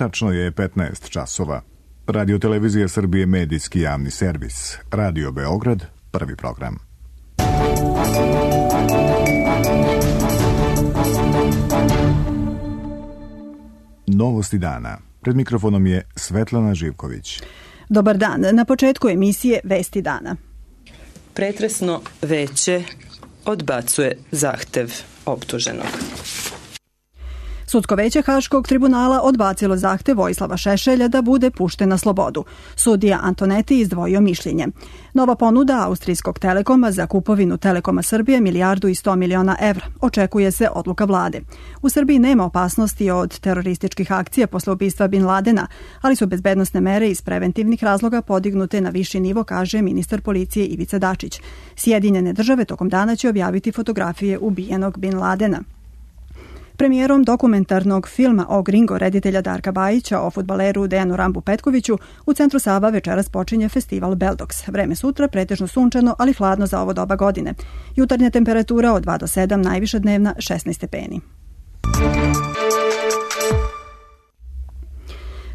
Tačno je 15 časova. Radio Televizija Srbije, medijski javni servis. Radio Beograd, prvi program. Novosti dana. Pred mikrofonom je Svetlana Živković. Dobar dan. Na početku emisije Vesti dana. Pretresno veće odbacuje zahtev optuženog. Sudsko veće Haškog tribunala odbacilo zahtev Vojislava Šešelja da bude pušten na slobodu. Sudija Antoneti izdvojio mišljenje. Nova ponuda Austrijskog Telekoma za kupovinu Telekoma Srbije 1.100.000.000 evra. Očekuje se odluka vlade. U Srbiji nema opasnosti od terorističkih akcija posle ubistva Bin Ladena, ali su bezbednosne mere iz preventivnih razloga podignute na viši nivo, kaže ministar policije Ivica Dačić. Sjedinjene države tokom dana će objaviti fotografije ubijenog Bin Ladena. Premijerom dokumentarnog filma o Gringo reditelja Darka Bajića o fudbaleru Dejanu Rambu Petkoviću u centru Sava večeras počinje festival Beldoks. Vreme sutra pretežno sunčano, ali hladno za ovo doba godine. Jutarnja temperatura od 2 do 7, najviša dnevna 16 stepeni.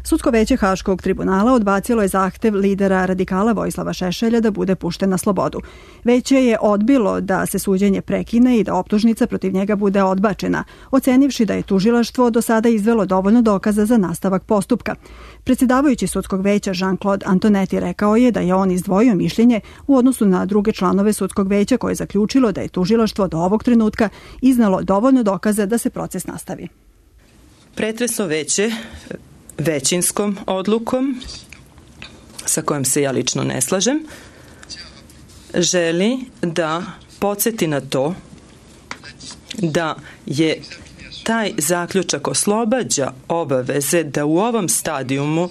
Sudsko veće Haškog tribunala odbacilo je zahtev lidera radikala Vojislava Šešelja da bude pušten na slobodu. Veće je odbilo da se suđenje prekine i da optužnica protiv njega bude odbačena, ocenivši da je tužilaštvo do sada izvelo dovoljno dokaza za nastavak postupka. Predsjedavajući sudskog veća Jean-Claude Antoneti rekao je da je on izdvojio mišljenje u odnosu na druge članove sudskog veća koje je zaključilo da je tužilaštvo do ovog trenutka iznalo dovoljno dokaza da se proces nastavi. Pretresno veće većinskom odlukom, sa kojom se ja lično ne slažem, želi da podsjeti na to da je taj zaključak oslobađa obaveze da u ovom stadijumu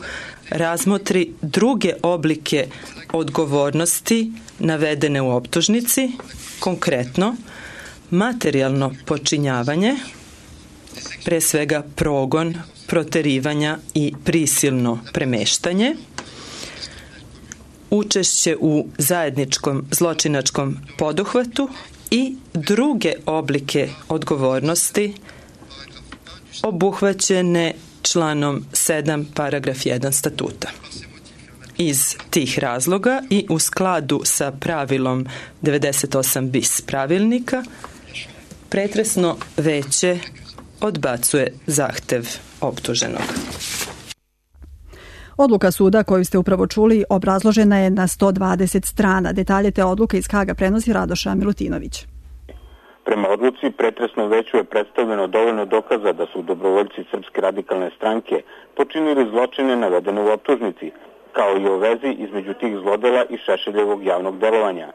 razmotri druge oblike odgovornosti navedene u optužnici, konkretno materijalno počinjavanje, pre svega progon, proterivanja i prisilno premeštanje, učešće u zajedničkom zločinačkom poduhvatu i druge oblike odgovornosti obuhvaćene članom 7 paragraf 1 statuta. Iz tih razloga i u skladu sa pravilom 98 bis pravilnika, pretresno veće odbacuje zahtev optuženog. Odluka suda koju ste upravo čuli obrazložena je na 120 strana. Detalje te odluke iz Haga prenosi Radoša Milutinović. Prema odluci pretresno veću je predstavljeno dovoljno dokaza da su dobrovoljci Srpske radikalne stranke počinili zločine navedene u optužnici, kao i o vezi između tih zlodela i Šešeljevog javnog delovanja.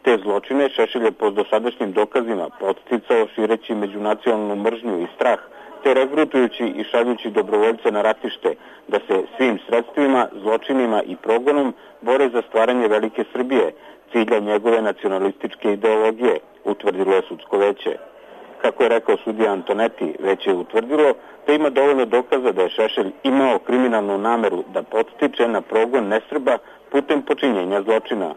Te zločine Šešelj je po dosadašnjim dokazima podsticao šireći međunacionalnu mržnju i strah, te regrutujući i šaljući dobrovoljce na ratište da se svim sredstvima, zločinima i progonom bore za stvaranje velike Srbije, cilja njegove nacionalističke ideologije, utvrdilo je sudsko veće. Kako je rekao sudija Antoneti, veće je utvrdilo da ima dovoljno dokaza da je Šešelj imao kriminalnu nameru da podstiče na progon nesrba putem počinjenja zločina.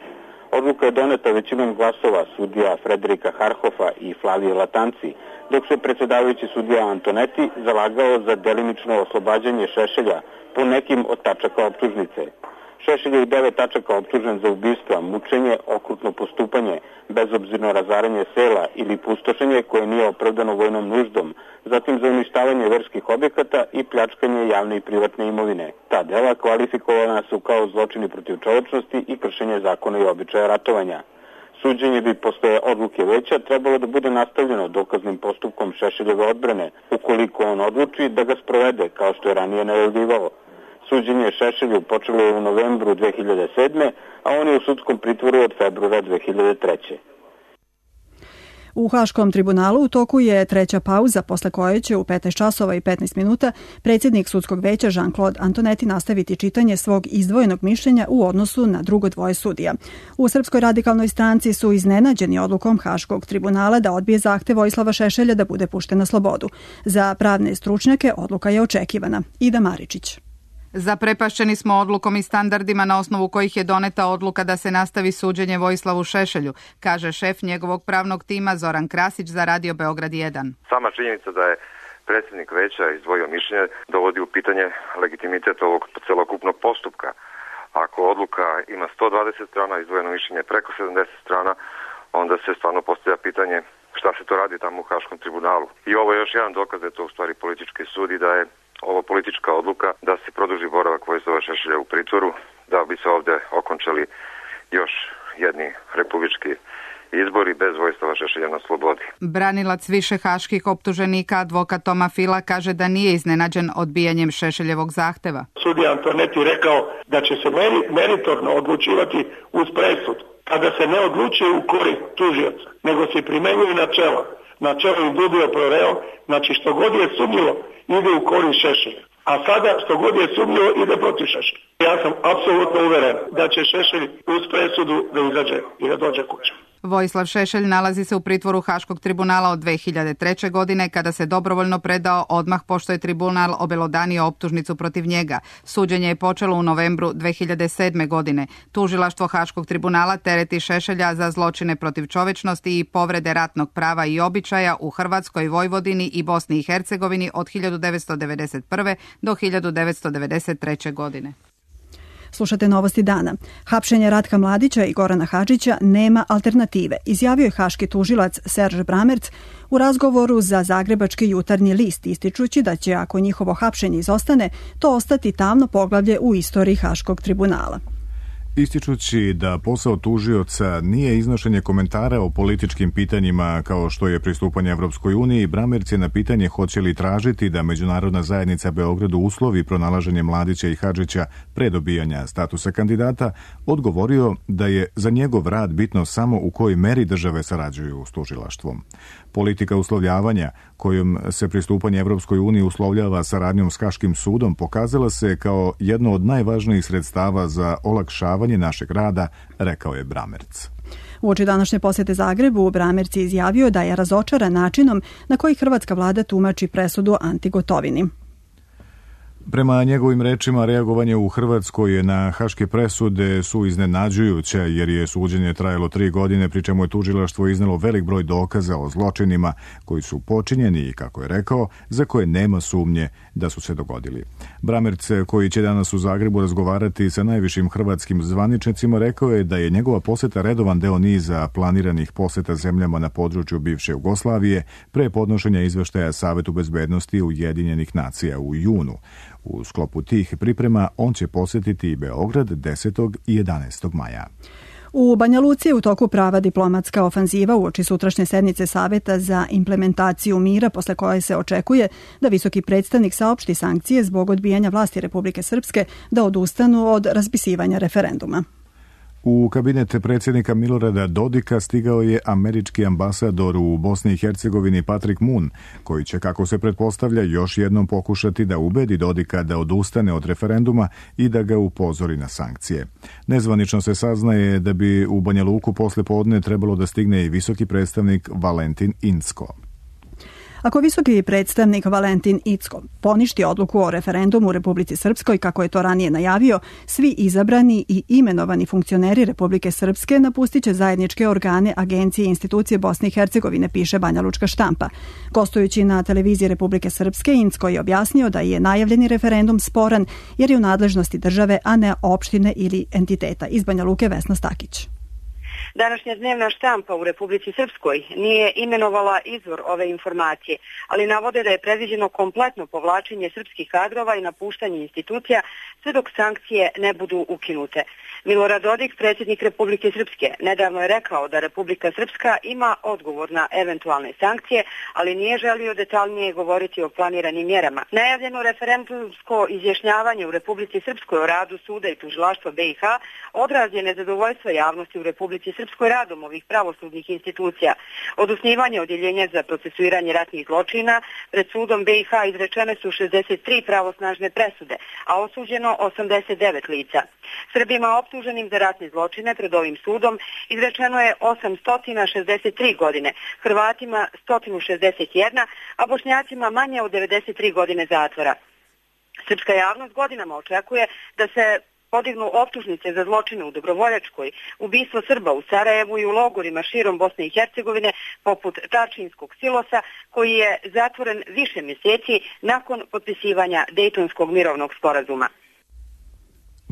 Odluka je doneta većinom glasova sudija Frederika Harhofa i Flavije Latanci, dok se predsjedavajući sudija Antoneti zalagao za delimično oslobađanje Šešelja po nekim od tačaka optužnice. Šešelj je u 9 tačaka optužen za ubistva, mučenje, okrutno postupanje, bezobzirno razaranje sela ili pustošenje koje nije opravdano vojnom nuždom, zatim za uništavanje verskih objekata i pljačkanje javne i privatne imovine. Ta dela kvalifikovana su kao zločini protiv čovečnosti i kršenje zakona i običaja ratovanja. Suđenje bi posle odluke veća trebalo da bude nastavljeno dokaznim postupkom Šešeljeve odbrane, ukoliko on odluči da ga sprovede, kao što je ranije najavljivao. Suđenje Šešelju počelo je u novembru 2007. a on je u sudskom pritvoru od februara 2003. U Haškom tribunalu u toku je treća pauza, posle koje će u 15 časova i 15 minuta predsjednik sudskog veća Jean-Claude Antoneti nastaviti čitanje svog izdvojenog mišljenja u odnosu na drugo dvoje sudija. U Srpskoj radikalnoj stranci su iznenađeni odlukom Haškog tribunala da odbije zahtev Vojislava Šešelja da bude pušten na slobodu. Za pravne stručnjake odluka je očekivana. Ida Maričić. Zaprepašćeni smo odlukom i standardima na osnovu kojih je doneta odluka da se nastavi suđenje Vojislavu Šešelju, kaže šef njegovog pravnog tima Zoran Krasić za Radio Beograd 1. Sama činjenica da je predsjednik veća izdvojio mišljenje, dovodi u pitanje legitimitet ovog celokupnog postupka. Ako odluka ima 120 strana, izdvojeno mišljenje preko 70 strana, onda se stvarno postavlja pitanje šta se to radi tamo u Haškom tribunalu. I ovo je još jedan dokaz da je to u stvari politički sud i da je ovo politička odluka da se produži boravak Vojislava Šešelja u pritvoru, da bi se ovdje okončali još jedni republički izbori bez Vojislava Šešelja na slobodi. Branilac više haških optuženika, advokat Toma Fila, kaže da nije iznenađen odbijanjem Šešeljevog zahteva. Sudija Antonetti rekao da će se meritorno odlučivati uz presud, kada se ne odlučuje u korist tužioca, nego se primenjuje načelo in dubio pro reo, znači što god je sumnjivo ide u korist Šešelja. A sada što god je sumnjivo ide protiv Šešelja. Ja sam apsolutno uveren da će Šešelj uz presudu da izađe i da dođe kuće. Vojislav Šešelj nalazi se u pritvoru Haškog tribunala od 2003. godine kada se dobrovoljno predao odmah pošto je tribunal obelodanio optužnicu protiv njega. Suđenje je počelo u novembru 2007. godine. Tužilaštvo Haškog tribunala tereti Šešelja za zločine protiv čovečnosti i povrede ratnog prava i običaja u Hrvatskoj, Vojvodini i Bosni i Hercegovini od 1991. do 1993. godine. Slušate Novosti dana. Hapšenje Ratka Mladića i Gorana Hadžića nema alternative, izjavio je haški tužilac Serž Bramerc u razgovoru za Zagrebački jutarnji list, ističući da će, ako njihovo hapšenje izostane, to ostati tamno poglavlje u istoriji Haškog tribunala. Ističući da posao tužioca nije iznošenje komentara o političkim pitanjima kao što je pristupanje Evropskoj uniji, Bramerc je na pitanje hoće li tražiti da međunarodna zajednica Beogradu uslovi pronalaženje Mladića i Hadžića pre dobijanja statusa kandidata, odgovorio da je za njegov rad bitno samo u kojoj meri države sarađuju s tužilaštvom. Politika uslovljavanja kojom se pristupanje Evropskoj uniji uslovljava saradnjom s Haškim sudom pokazala se kao jedno od najvažnijih sredstava za olakšavanje našeg rada, rekao je Bramerc. Uoči današnje posjete Zagrebu, Bramerc je izjavio da je razočaran načinom na koji hrvatska vlada tumači presudu Anti Gotovini. Prema njegovim rečima, reagovanje u Hrvatskoj na haške presude su iznenađujuće jer je suđenje trajalo 3 godine, pri čemu je tužilaštvo iznelo velik broj dokaza o zločinima koji su počinjeni i, kako je rekao, za koje nema sumnje da su se dogodili. Bramerc, koji će danas u Zagrebu razgovarati sa najvišim hrvatskim zvaničnicima, rekao je da je njegova poseta redovan deo niza planiranih poseta zemljama na području bivše Jugoslavije pre podnošenja izveštaja Savetu bezbednosti Ujedinjenih nacija u junu. U sklopu tih priprema on će posjetiti i Beograd 10. i 11. maja. U Banja Luci je u toku prava diplomatska ofanziva uoči sutrašnje sednice Saveta za implementaciju mira, posle koje se očekuje da visoki predstavnik saopšti sankcije zbog odbijanja vlasti Republike Srpske da odustanu od raspisivanja referenduma. U kabinet predsjednika Milorada Dodika stigao je američki ambasador u Bosni i Hercegovini Patrick Moon, koji će, kako se pretpostavlja, još jednom pokušati da ubedi Dodika da odustane od referenduma i da ga upozori na sankcije. Nezvanično se saznaje da bi u Banja Luku posle podne trebalo da stigne i visoki predstavnik Valentin Incko. Ako visoki predstavnik Valentin Incko poništi odluku o referendumu u Republici Srpskoj, kako je to ranije najavio, svi izabrani i imenovani funkcioneri Republike Srpske napustit će zajedničke organe, agencije i institucije Bosne i Hercegovine, piše banjalučka štampa. Gostujući na televiziji Republike Srpske, Incko je objasnio da je najavljeni referendum sporan jer je u nadležnosti države, a ne opštine ili entiteta. Iz Banja Luke Vesna Stakić. Današnja dnevna štampa u Republici Srpskoj nije imenovala izvor ove informacije, ali navode da je predviđeno kompletno povlačenje srpskih kadrova i napuštanje institucija sve dok sankcije ne budu ukinute. Milorad Dodik, predsjednik Republike Srpske, nedavno je rekao da Republika Srpska ima odgovor na eventualne sankcije, ali nije želio detaljnije govoriti o planiranim mjerama. Najavljeno referendumsko izjašnjavanje u Republici Srpskoj o radu suda i tužilaštva BiH odraz je nezadovoljstva javnosti u Republici Srpskoj radom ovih pravosudnih institucija. Od osnivanja odjeljenja za procesuiranje ratnih zločina pred sudom BiH izrečene su 63 pravosnažne presude, a osuđeno 89 lica. Srbima optuženim za ratne zločine pred ovim sudom izrečeno je 863 godine, Hrvatima 161, a Bošnjacima manje od 93 godine zatvora. Srpska javnost godinama očekuje da se podignu optužnice za zločine u Dobrovoljačkoj, ubistvo Srba u Sarajevu i u logorima širom Bosne i Hercegovine, poput Tačinskog silosa, koji je zatvoren više mjeseci nakon potpisivanja Dejtonskog mirovnog sporazuma.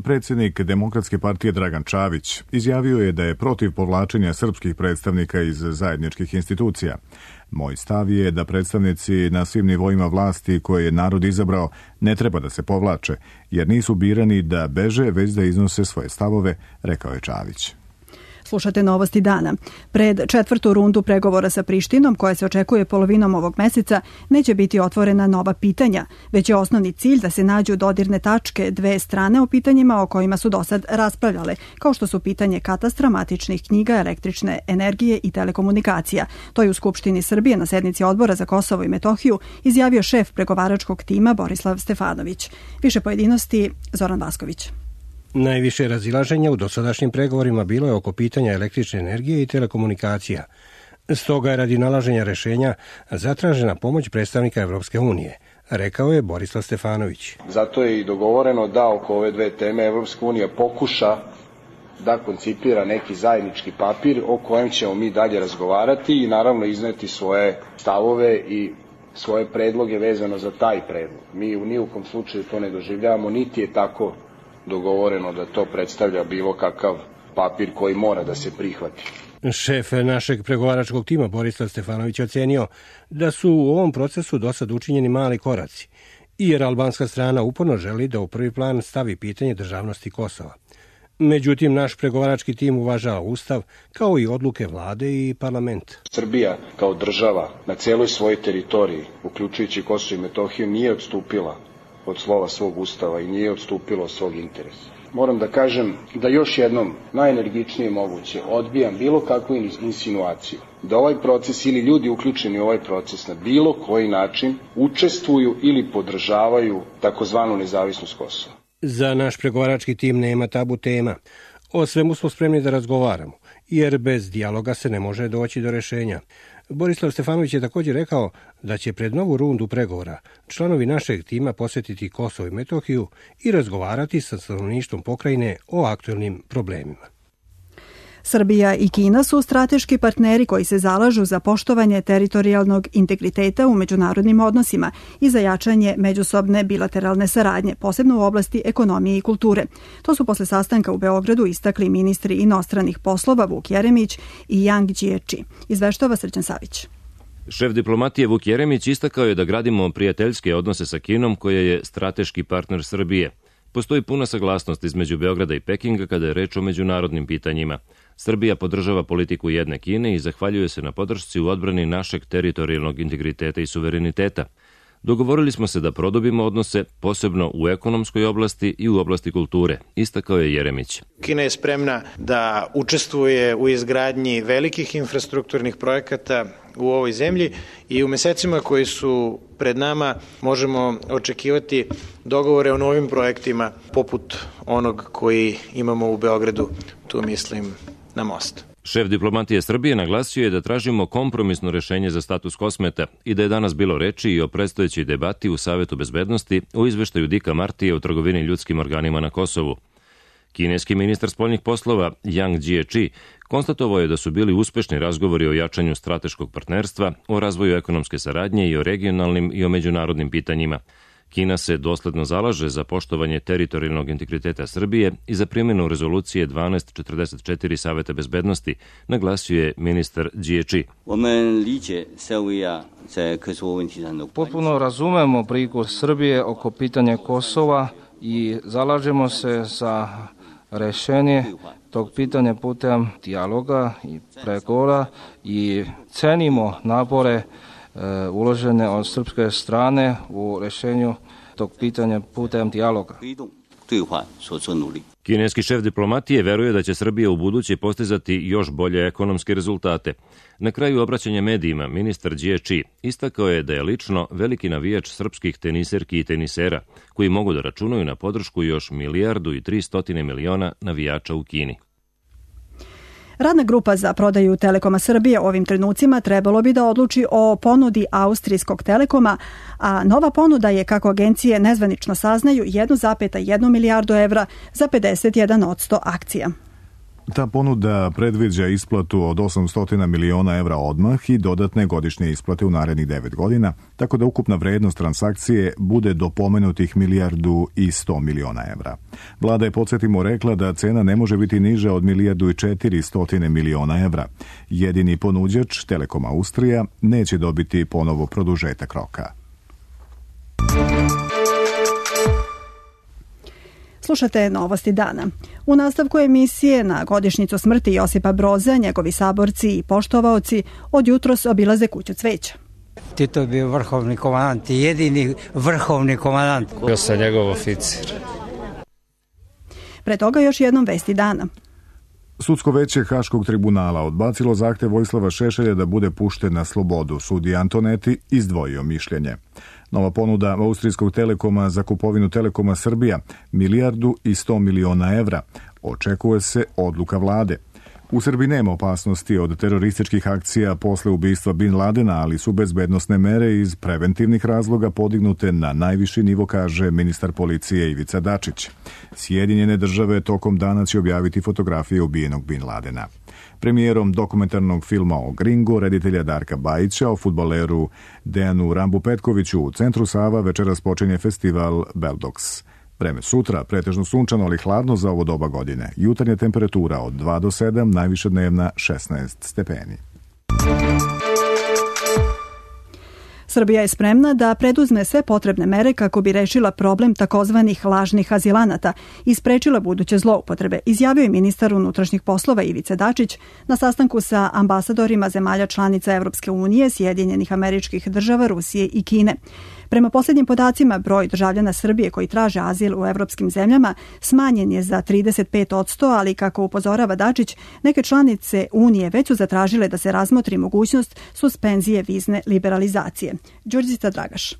Predsjednik Demokratske partije Dragan Čavić izjavio je da je protiv povlačenja srpskih predstavnika iz zajedničkih institucija. Moj stav je da predstavnici na svim nivoima vlasti koje je narod izabrao ne treba da se povlače, jer nisu birani da beže, već da iznose svoje stavove, rekao je Čavić. Slušate novosti dana. Pred 4. rundu pregovora sa Prištinom, koja se očekuje polovinom ovog meseca, neće biti otvorena nova pitanja, već je osnovni cilj da se nađu dodirne tačke dve strane o pitanjima o kojima su dosad raspravljale, kao što su pitanje katastra, matičnih knjiga, električne energije i telekomunikacija. To je u Skupštini Srbije na sednici Odbora za Kosovo i Metohiju izjavio šef pregovaračkog tima Borislav Stefanović. Više pojedinosti Zoran Vasković. Najviše razilaženja u dosadašnjim pregovorima bilo je oko pitanja električne energije i telekomunikacija. Stoga je radi nalaženja rešenja zatražena pomoć predstavnika Evropske unije, rekao je Borislav Stefanović. Zato je i dogovoreno da oko ove dve teme Evropska unija pokuša da koncipira neki zajednički papir o kojem ćemo mi dalje razgovarati i naravno izneti svoje stavove i svoje predloge vezano za taj predlog. Mi u nijukom slučaju to ne doživljavamo, niti je tako dogovoreno da to predstavlja bilo kakav papir koji mora da se prihvati. Šef našeg pregovaračkog tima Borislav Stefanović ocenio da su u ovom procesu dosad učinjeni mali koraci, jer albanska strana uporno želi da u prvi plan stavi pitanje državnosti Kosova. Međutim, naš pregovarački tim uvažava Ustav kao i odluke vlade i parlament. Srbija kao država na celoj svojoj teritoriji, uključujući Kosovo i Metohiju, nije odstupila od slova svog Ustava i nije odstupilo od svog interesa. Moram da kažem da još jednom najenergičnije moguće odbijam bilo kakvu insinuaciju da ovaj proces ili ljudi uključeni u ovaj proces na bilo koji način učestvuju ili podržavaju takozvanu nezavisnost Kosova. Za naš pregovarački tim nema tabu tema. O svemu smo spremni da razgovaramo, jer bez dijaloga se ne može doći do rešenja. Borislav Stefanović je također rekao da će pred novu rundu pregovora članovi našeg tima posjetiti Kosovo i Metohiju i razgovarati sa stanovništvom pokrajine o aktuelnim problemima. Srbija i Kina su strateški partneri koji se zalažu za poštovanje teritorijalnog integriteta u međunarodnim odnosima i za jačanje međusobne bilateralne saradnje, posebno u oblasti ekonomije i kulture. To su posle sastanka u Beogradu istakli ministri inostranih poslova Vuk Jeremić i Yang Jiechi. Izveštava Srđan Savić. Šef diplomatije Vuk Jeremić istakao je da gradimo prijateljske odnose sa Kinom, koja je strateški partner Srbije. Postoji puna saglasnost između Beograda i Pekinga kada je reč o međunarodnim pitanjima. Srbija podržava politiku jedne Kine i zahvaljuje se na podršci u odbrani našeg teritorijalnog integriteta i suvereniteta. Dogovorili smo se da produbimo odnose, posebno u ekonomskoj oblasti i u oblasti kulture, istakao je Jeremić. Kina je spremna da učestvuje u izgradnji velikih infrastrukturnih projekata u ovoj zemlji i u mesecima koji su pred nama možemo očekivati dogovore o novim projektima poput onog koji imamo u Beogradu, tu mislim na most. Šef diplomatije Srbije naglasio je da tražimo kompromisno rešenje za status Kosmeta i da je danas bilo reči i o predstojećoj debati u Savetu bezbednosti o izveštaju Dika Martije o trgovini ljudskim organima na Kosovu. Kineski ministar spoljnih poslova Yang Jiechi konstatovao je da su bili uspešni razgovori o jačanju strateškog partnerstva, o razvoju ekonomske saradnje i o regionalnim i o međunarodnim pitanjima. Kina se dosledno zalaže za poštovanje teritorijalnog integriteta Srbije i za primjenu rezolucije 1244 Saveta bezbednosti, naglasio je ministar Jiechi. Potpuno razumemo brigu Srbije oko pitanja Kosova i zalažemo se za rešenje tog pitanja putem dijaloga i pregovora i cenimo napore uložene od srpske strane u rešenju tog pitanja putem dijaloga. Kineski šef diplomatije veruje da će Srbija u buduće postizati još bolje ekonomske rezultate. Na kraju obraćanja medijima, ministar Jiechi istakao je da je lično veliki navijač srpskih teniserki i tenisera, koji mogu da računaju na podršku još 1,3 milijarde navijača u Kini. Radna grupa za prodaju Telekoma Srbije u ovim trenucima trebalo bi da odluči o ponudi austrijskog Telekoma, a nova ponuda je, kako agencije nezvanično saznaju, 1,1 milijardu evra za 51% akcija. Ta ponuda predviđa isplatu od 800 miliona evra odmah i dodatne godišnje isplate u narednih 9 godina, tako da ukupna vrednost transakcije bude do pomenutih 1,1 milijarda evra. Vlada je, podsjetimo, rekla da cena ne može biti niža od 1,4 milijarda evra. Jedini ponuđač, Telekom Austrija, neće dobiti ponovo produžetak roka. Slušate Novosti dana. U nastavku emisije na godišnjicu smrti Josipa Broza, njegovi saborci i poštovaoci od jutros obilaze kuću cveća. Tito je bio vrhovni komandant i jedini vrhovni komandant. Bio sam njegov oficir. Pre toga još jednom vesti dana. Sudsko veće Haškog tribunala odbacilo zahtev Vojislava Šešelja da bude pušten na slobodu. Sudija Antoneti izdvojio mišljenje. Nova ponuda austrijskog Telekoma za kupovinu Telekoma Srbija 1,1 milijarda evra. Očekuje se odluka vlade. U Srbiji nema opasnosti od terorističkih akcija posle ubistva Bin Ladena, ali su bezbednosne mere iz preventivnih razloga podignute na najviši nivo, kaže ministar policije Ivica Dačić. Sjedinjene države tokom dana će objaviti fotografije ubijenog Bin Ladena. Premijerom dokumentarnog filma o Gringu, reditelja Darka Bajića, o fudbaleru Dejanu Rambu Petkoviću u centru Sava večeras počinje festival Beldox. Vreme sutra, pretežno sunčano, ali hladno za ovo doba godine. Jutarnja temperatura od 2 do 7, najviša dnevna 16 stepeni. Srbija je spremna da preduzme sve potrebne mere kako bi rešila problem takozvanih lažnih azilanata i sprečila buduće zloupotrebe, izjavio je ministar unutrašnjih poslova Ivica Dačić na sastanku sa ambasadorima zemalja članica Evropske unije, Sjedinjenih Američkih Država, Rusije i Kine. Prema posljednjim podacima, broj državljana Srbije koji traže azil u evropskim zemljama smanjen je za 35%, ali kako upozorava Dačić, neke članice Unije već su zatražile da se razmotri mogućnost suspenzije vizne liberalizacije. Đurđica Dragaš.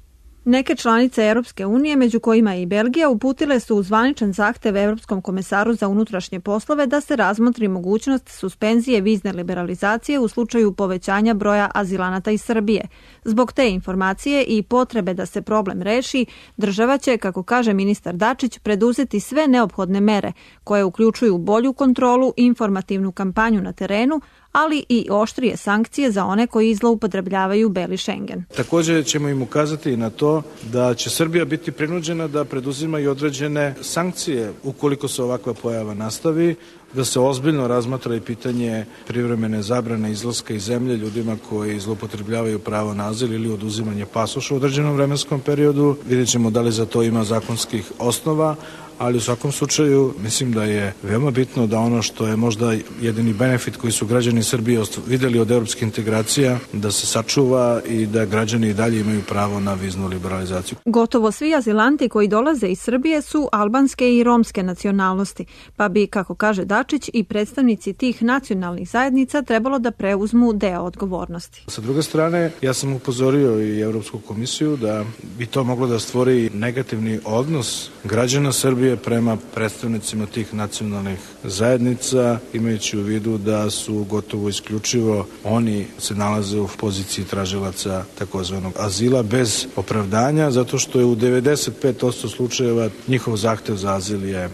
Neke članice Europske unije, među kojima i Belgija, uputile su zvaničan zahtev Evropskom komesaru za unutrašnje poslove da se razmotri mogućnost suspenzije vizne liberalizacije u slučaju povećanja broja azilanata iz Srbije. Zbog te informacije i potrebe da se problem reši, država će, kako kaže ministar Dačić, preduzeti sve neophodne mere koje uključuju bolju kontrolu i informativnu kampanju na terenu, ali i oštrije sankcije za one koji zloupotrebljavaju beli Schengen. Također ćemo im ukazati na to da će Srbija biti prinuđena da preduzima i određene sankcije ukoliko se ovakva pojava nastavi, da se ozbiljno razmatra i pitanje privremene zabrane izlaska iz zemlje ljudima koji zloupotrebljavaju pravo na azil ili oduzimanje pasoša u određenom vremenskom periodu. Vidjet ćemo da li za to ima zakonskih osnova, ali u svakom slučaju mislim da je veoma bitno da ono što je možda jedini benefit koji su građani Srbije videli od evropskih integracija, da se sačuva i da građani i dalje imaju pravo na viznu liberalizaciju. Gotovo svi azilanti koji dolaze iz Srbije su albanske i romske nacionalnosti, pa bi, kako kaže Dačić, i predstavnici tih nacionalnih zajednica trebalo da preuzmu deo odgovornosti. Sa druge strane, ja sam upozorio i Evropsku komisiju da bi to moglo da stvori negativni odnos građana Srbije prema predstavnicima tih nacionalnih zajednica, imajući u vidu da su gotovo isključivo oni se nalaze u poziciji tražilaca takozvanog azila bez opravdanja, zato što je u 95% slučajeva njihov zahtev za azil je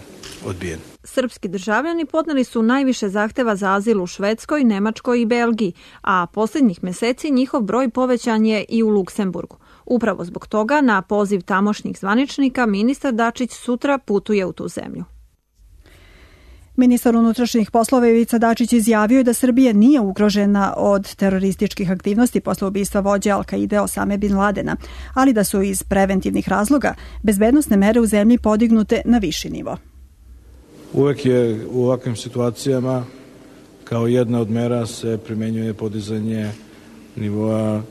odbijen. Srpski državljani podneli su najviše zahteva za azil u Švedskoj, Nemačkoj i Belgiji, a posljednjih meseci njihov broj povećan je i u Luksemburgu. Upravo zbog toga, na poziv tamošnjih zvaničnika, ministar Dačić sutra putuje u tu zemlju. Ministar unutrašnjih poslova Ivica Dačić izjavio je da Srbija nije ugrožena od terorističkih aktivnosti posle ubistva vođe Al-Kaide Osame Bin Ladena, ali da su iz preventivnih razloga bezbednosne mere u zemlji podignute na viši nivo. Uvek je u ovakvim situacijama kao jedna od mera se primenjuje podizanje nivoa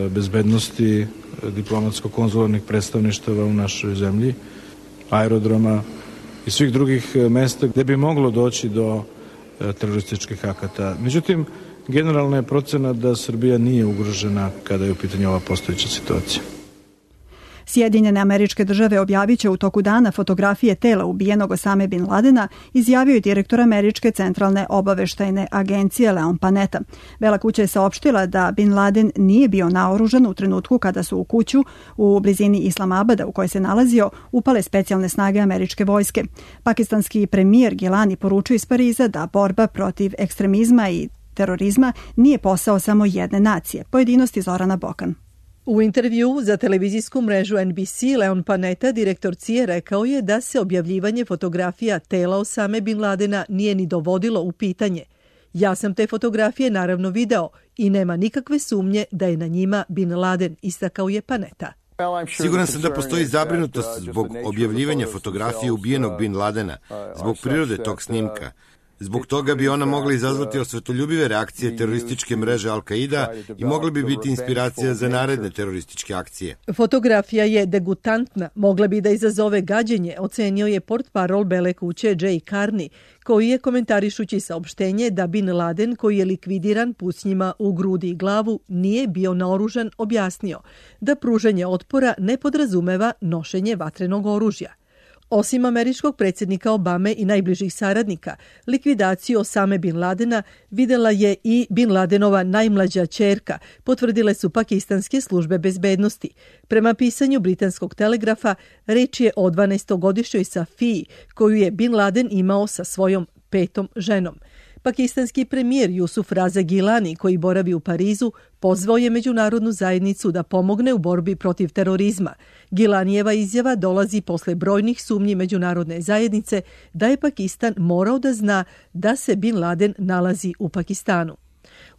bezbednosti diplomatsko-konzularnih predstavništava u našoj zemlji, aerodroma i svih drugih mesta gde bi moglo doći do terorističkih akata. Međutim, generalna je procena da Srbija nije ugrožena kada je u pitanju ova postojeća situacija. Sjedinjene Američke Države objavit će u toku dana fotografije tela ubijenog Osame Bin Ladena, izjavio je direktor Američke centralne obaveštajne agencije Leon Panetta. Bela kuća je saopštila da Bin Laden nije bio naoružan u trenutku kada su u kuću u blizini Islamabada u kojoj se nalazio upale specijalne snage američke vojske. Pakistanski premijer Gilani poručio iz Pariza da borba protiv ekstremizma i terorizma nije posao samo jedne nacije. Pojedinosti Zorana Bokan. U intervjuu za televizijsku mrežu NBC, Leon Panetta, direktor CIA, rekao je da se objavljivanje fotografija tela Osame Bin Ladena nije ni dovodilo u pitanje. Ja sam te fotografije naravno video i nema nikakve sumnje da je na njima Bin Laden, istakao je Panetta. Siguran sam da postoji zabrinutost zbog objavljivanja fotografije ubijenog Bin Ladena, zbog prirode tog snimka. Zbog toga bi ona mogla izazvati osvetoljubive reakcije terorističke mreže Al-Qaida i mogla bi biti inspiracija za naredne terorističke akcije. Fotografija je degutantna, mogla bi da izazove gađenje, ocenio je portparol Bele kuće Jay Carney, koji je komentarišući saopštenje da Bin Laden, koji je likvidiran pucnjima u grudi i glavu, nije bio naoružan, objasnio da pružanje otpora ne podrazumeva nošenje vatrenog oružja. Osim američkog predsjednika Obame i najbližih saradnika, likvidaciju Osame Bin Ladena videla je i Bin Ladenova najmlađa ćerka, potvrdile su pakistanske službe bezbednosti. Prema pisanju britanskog telegrafa, reč je o 12-godišnjoj Safiji, koju je Bin Laden imao sa svojom 5. ženom. Pakistanski premijer Jusuf Raza Gilani, koji boravi u Parizu, pozvao je međunarodnu zajednicu da pomogne u borbi protiv terorizma. Gilanijeva izjava dolazi posle brojnih sumnji međunarodne zajednice da je Pakistan morao da zna da se Bin Laden nalazi u Pakistanu.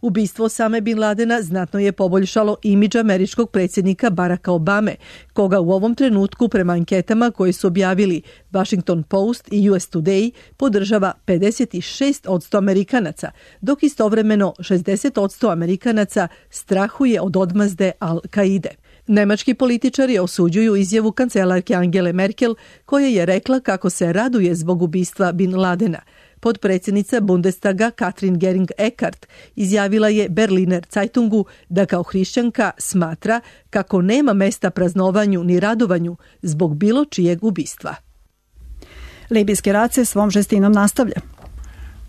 Ubistvo Osame Bin Ladena znatno je poboljšalo imidž američkog predsjednika Baracka Obame, koga u ovom trenutku prema anketama koje su objavili Washington Post i US Today podržava 56% Amerikanaca, dok istovremeno 60% Amerikanaca strahuje od odmazde Al-Qaide. Nemački političari osuđuju izjavu kancelarke Angele Merkel, koja je rekla kako se raduje zbog ubistva Bin Ladena. Potpredsjednica Bundestaga Katrin Göring-Eckardt izjavila je Berliner Zeitungu da kao hrišćanka smatra kako nema mesta praznovanju ni radovanju zbog bilo čijeg ubistva. Libijski rat se svom žestinom nastavlja.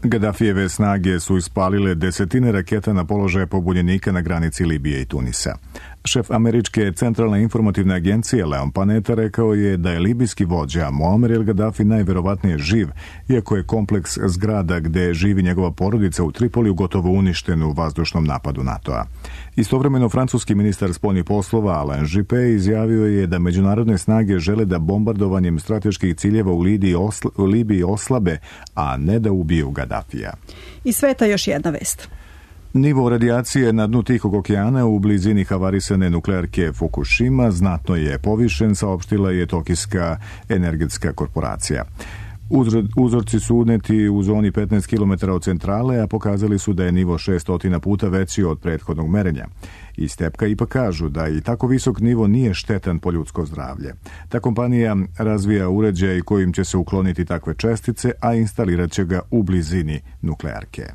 Gaddafijeve snage su ispalile desetine raketa na položaje pobunjenika na granici Libije i Tunisa. Šef američke centralne informativne agencije Leon Panetta rekao je da je libijski vođa Muammer el Gaddafi najverovatnije živ, iako je kompleks zgrada gde živi njegova porodica u Tripoliju gotovo uništen u vazdušnom napadu NATO-a. Istovremeno, francuski ministar spoljnih poslova Alain Juppé izjavio je da međunarodne snage žele da bombardovanjem strateških ciljeva u Libiji oslabe, a ne da ubiju Gaddafija. Iz sveta još jedna vest. Nivo radijacije na dnu Tihog okeana u blizini havarisane nuklearke Fukushima znatno je povišen, saopštila je Tokijska energetska korporacija. Uzorci su uneti u zoni 15 km od centrale, a pokazali su da je nivo 600 puta veći od prethodnog merenja. Iz Tepka ipak kažu da i tako visok nivo nije štetan po ljudsko zdravlje. Ta kompanija razvija uređaj kojim će se ukloniti takve čestice, a instalirat će ga u blizini nuklearke.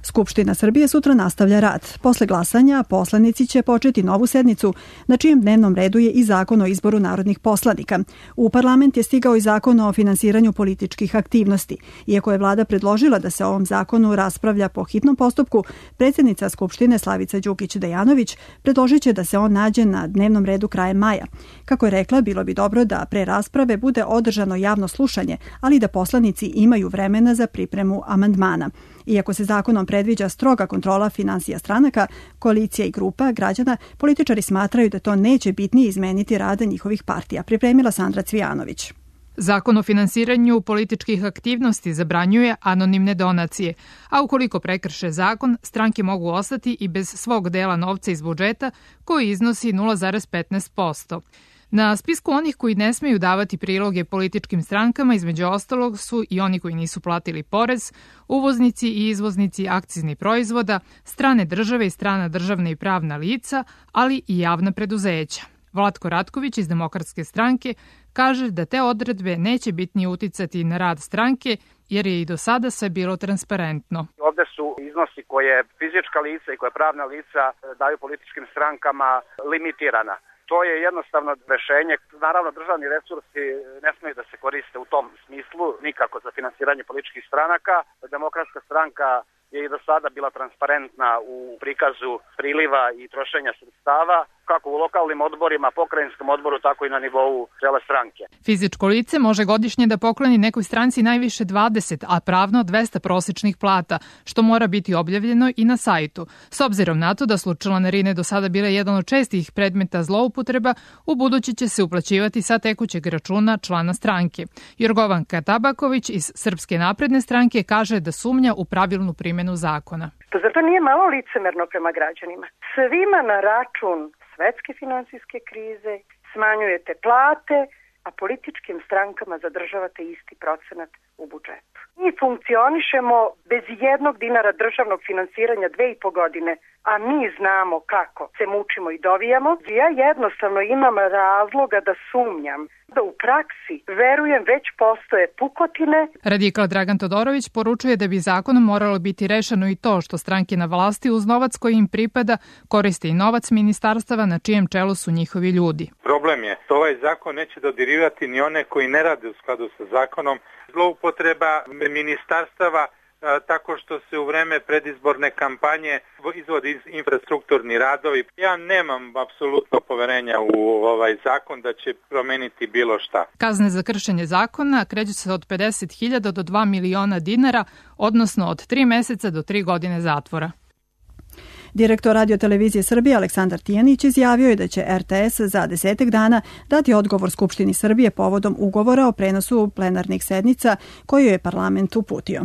Skupština Srbije sutra nastavlja rad. Posle glasanja poslanici će početi novu sednicu na čijem dnevnom redu je i zakon o izboru narodnih poslanika. U parlament je stigao i zakon o finansiranju političkih aktivnosti. Iako je vlada predložila da se o ovom zakonu raspravlja po hitnom postupku, predsjednica Skupštine Slavica Đukić-Dejanović predložit će da se on nađe na dnevnom redu krajem maja. Kako je rekla, bilo bi dobro da pre rasprave bude održano javno slušanje, ali da poslanici imaju vremena za pripremu amandmana. Iako se zakonom predviđa stroga kontrola finansija stranaka, koalicija i grupa građana, političari smatraju da to neće bitnije izmeniti rada njihovih partija, pripremila Sandra Cvijanović. Zakon o finansiranju političkih aktivnosti zabranjuje anonimne donacije, a ukoliko prekrše zakon, stranke mogu ostati i bez svog dela novca iz budžeta koji iznosi 0,15%. Na spisku onih koji ne smeju davati priloge političkim strankama, između ostalog, su i oni koji nisu platili porez, uvoznici i izvoznici akciznih proizvoda, strane države i strana državna i pravna lica, ali i javna preduzeća. Vlatko Ratković iz Demokratske stranke kaže da te odredbe neće bitnije uticati na rad stranke, jer je i do sada sve bilo transparentno. Ovde su iznosi koje fizička lica i koje pravna lica daju političkim strankama limitirana. To je jednostavno rešenje. Naravno, državni resursi ne smeju da se koriste u tom smislu, nikako za finansiranje političkih stranaka. Demokratska stranka je i do sada bila transparentna u prikazu priliva i trošenja sredstava, kako u lokalnim odborima, pokrajinskom odboru, tako i na nivou cele stranke. Fizičko lice može godišnje da pokloni nekoj stranci najviše 20, a pravno 200 prosečnih plata, što mora biti objavljeno i na sajtu. S obzirom na to da su članarine do sada bile jedan od čestih predmeta zloupotreba, u budući će se uplaćivati sa tekućeg računa člana stranke. Jorgovanka Tabaković iz Srpske napredne stranke kaže da sumnja u pravilnu primjenu zakona. Zato nije malo licemerno prema građanima. Svima na račun svetske finansijske krize smanjujete plate, a političkim strankama zadržavate isti procenat u budžetu. Mi funkcionišemo bez jednog dinara državnog finansiranja 2,5 godine, a mi znamo kako se mučimo i dovijamo. Ja jednostavno imam razloga da sumnjam da u praksi, verujem, već postoje pukotine. Radikal Dragan Todorović poručuje da bi zakonom moralo biti rešeno i to što stranke na vlasti uz novac koji im pripada koriste i novac ministarstava na čijem čelu su njihovi ljudi. Problem je što ovaj zakon neće dodirivati ni one koji ne rade u skladu sa zakonom. Zloupotreba ministarstava tako što se u vreme predizborne kampanje izvodi infrastrukturni radovi. Ja nemam apsolutno poverenja u ovaj zakon da će promeniti bilo šta. Kazne za kršenje zakona kreću se od 50.000 do 2 miliona dinara, odnosno od 3 meseca do 3 godine zatvora. Direktor Radio-televizije Srbije Aleksandar Tijanić izjavio je da će RTS za 10 dana dati odgovor Skupštini Srbije povodom ugovora o prenosu plenarnih sednica koju je parlament uputio.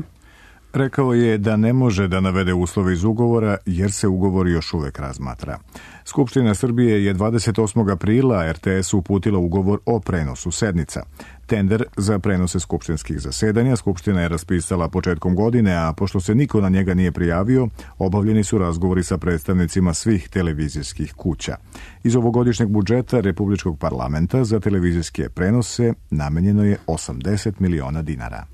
Rekao je da ne može da navede uslove iz ugovora jer se ugovor još uvek razmatra. Skupština Srbije je 28. aprila RTS-u uputila ugovor o prenosu sednica. Tender za prenose skupštinskih zasedanja Skupština je raspisala početkom godine, a pošto se niko na njega nije prijavio, obavljeni su razgovori sa predstavnicima svih televizijskih kuća. Iz ovogodišnjeg budžeta Republičkog parlamenta za televizijske prenose namenjeno je 80 miliona dinara.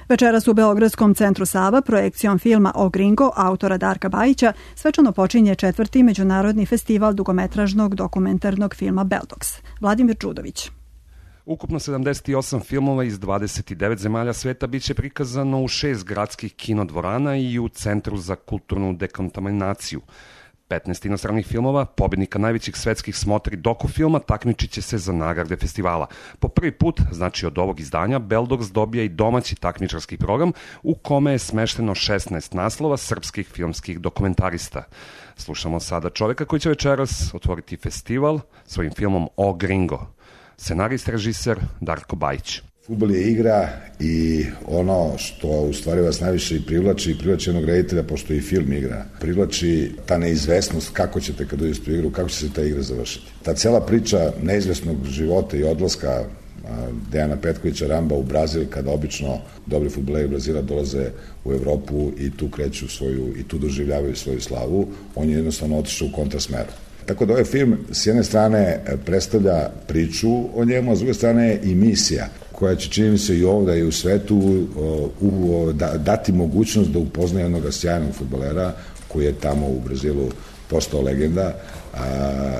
Večeras u Beogradskom centru Sava projekcijom filma O Gringo autora Darka Bajića svečano počinje 4. međunarodni festival dugometražnog dokumentarnog filma Beldox. Vladimir Čudović. Ukupno 78 filmova iz 29 zemalja sveta biće prikazano u 6 gradskih kinodvorana i u Centru za kulturnu dekontaminaciju. 15 inostranih filmova, pobednika najvećih svetskih smotri dokufilma, takmičit će se za nagrade festivala. Po prvi put, znači od ovog izdanja, Beldox dobija i domaći takmičarski program u kome je smešteno 16 naslova srpskih filmskih dokumentarista. Slušamo sada čoveka koji će večeras otvoriti festival svojim filmom O Gringo. Scenarist, režiser Darko Bajić. Fudbal je igra i ono što u stvari vas najviše i privlači onog reditelja, pošto i film igra, privlači ta neizvesnost kako ćete kad uđete u igru, kako će se ta igra završiti. Ta cela priča neizvesnog života i odlaska Dejana Petkovića Ramba u Brazil, kada obično dobri fudbaleri Brazila dolaze u Evropu i tu kreću i tu doživljavaju svoju slavu, on je jednostavno otišao u kontrasmeru. Tako da ovaj film s jedne strane predstavlja priču o njemu, a s druge strane i misija koja će, čini mi se, i ovdje i u svetu dati mogućnost da upozna jednog sjajnog fudbalera koji je tamo u Brazilu postao legenda,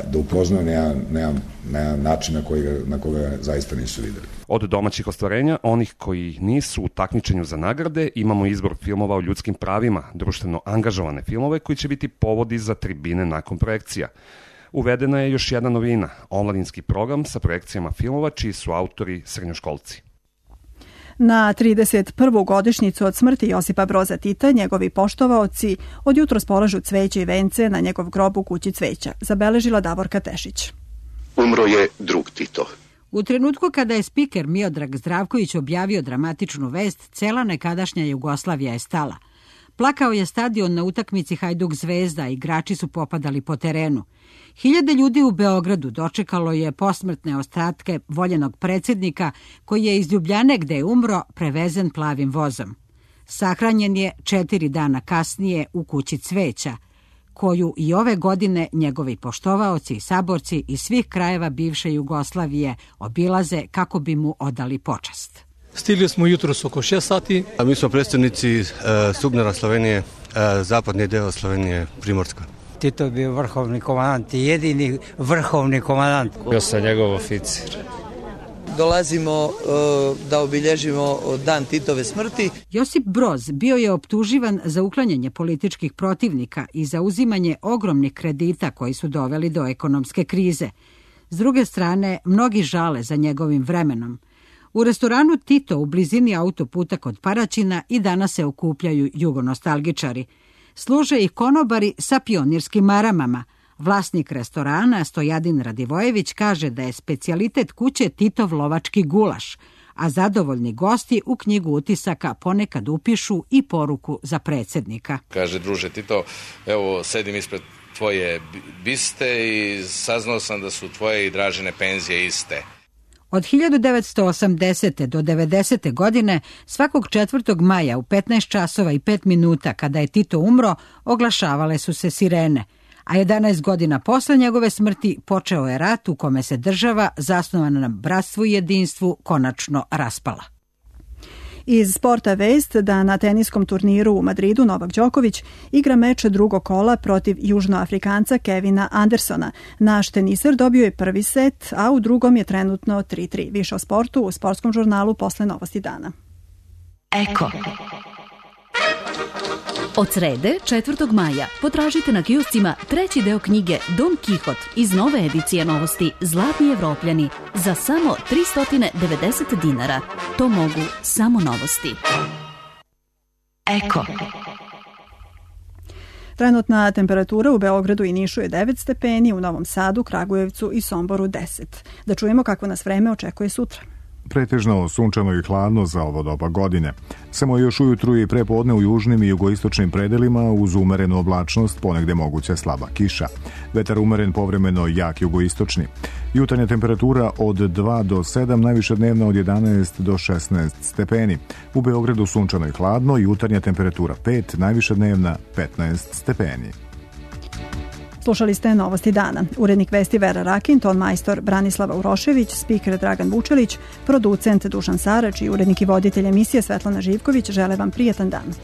da upoznao na način na koga zaista nisu videli. Od domaćih ostvarenja, onih koji nisu u takmičenju za nagrade, imamo izbor filmova o ljudskim pravima, društveno angažovane filmove koji će biti povodi za tribine nakon projekcija. Uvedena je još jedna novina, omladinski program sa projekcijama filmova čiji su autori srednjoškolci. Na 31. godišnjicu od smrti Josipa Broza Tita, njegovi poštovaoci od jutros polažu cveće i vence na njegov grob u kući cveća, zabeležila Davorka Tešić. Umro je drug Tito. U trenutku kada je spiker Miodrag Zdravković objavio dramatičnu vest, cela nekadašnja Jugoslavija je stala. Plakao je stadion na utakmici Hajduk Zvezda, igrači su popadali po terenu. Hiljade ljudi u Beogradu dočekalo je posmrtne ostatke voljenog predsjednika koji je iz Ljubljane gde je umro prevezen plavim vozom. Sahranjen je 4 dana kasnije u kući cveća, koju i ove godine njegovi poštovaoci i saborci iz svih krajeva bivše Jugoslavije obilaze kako bi mu odali počast. Stigli smo jutros oko 6 sati. A mi smo predstavnici Subnera Slovenije, zapadni deo Slovenije, Primorska. Tito je bio vrhovni komandant, jedini vrhovni komandant. Bio sam njegov oficir. Dolazimo da obilježimo dan Titove smrti. Josip Broz bio je optuživan za uklanjanje političkih protivnika i za uzimanje ogromnih kredita koji su doveli do ekonomske krize. S druge strane, mnogi žale za njegovim vremenom. U restoranu Tito u blizini autoputa kod Paraćina i danas se okupljaju jugonostalgičari. Služe i konobari sa pionirskim maramama. Vlasnik restorana Stojadin Radivojević kaže da je specijalitet kuće Titov lovački gulaš, a zadovoljni gosti u knjigu utisaka ponekad upišu i poruku za predsjednika. Kaže, druže Tito, evo sedim ispred tvoje biste i saznao sam da su tvoje i Dražine penzije iste. Od 1980. do 90. godine svakog 4. maja u 15 časova i 5 minuta kada je Tito umro, oglašavale su se sirene. A 11 godina posle njegove smrti počeo je rat u kome se država, zasnovana na bratstvu i jedinstvu, konačno raspala. Iz sporta vest da na teniskom turniru u Madridu Novak Đoković igra meč drugog kola protiv Južnoafrikanca Kevina Andersona. Naš teniser dobio je prvi set, a u drugom je trenutno 3-3. Više o sportu u sportskom žurnalu posle Novosti dana. Eko. Od srede, 4. maja, potražite na kioscima treći deo knjige Don Kihot iz nove edicije Novosti Zlatni Evropljani za samo 390 dinara. To mogu samo Novosti. Eko. Trenutna temperatura u Beogradu i Nišu je 9 stepeni, u Novom Sadu, Kragujevcu i Somboru 10. Da čujemo kako nas vreme očekuje sutra. Pretežno sunčano i hladno za ovo doba godine. Samo još ujutru i prepodne u južnim i jugoistočnim predelima uz umerenu oblačnost, ponegde moguća slaba kiša. Vetar umeren, povremeno jak jugoistočni. Jutarnja temperatura od 2 do 7, najviša dnevna od 11 do 16 stepeni. U Beogradu sunčano i hladno, jutarnja temperatura 5, najviša dnevna 15 stepeni. Slušali ste Novosti dana. Urednik vesti Vera Rakin, ton majstor Branislava Urošević, spiker Dragan Vučelić, producent Dušan Sarač i urednik i voditelj emisije Svetlana Živković žele vam prijatan dan.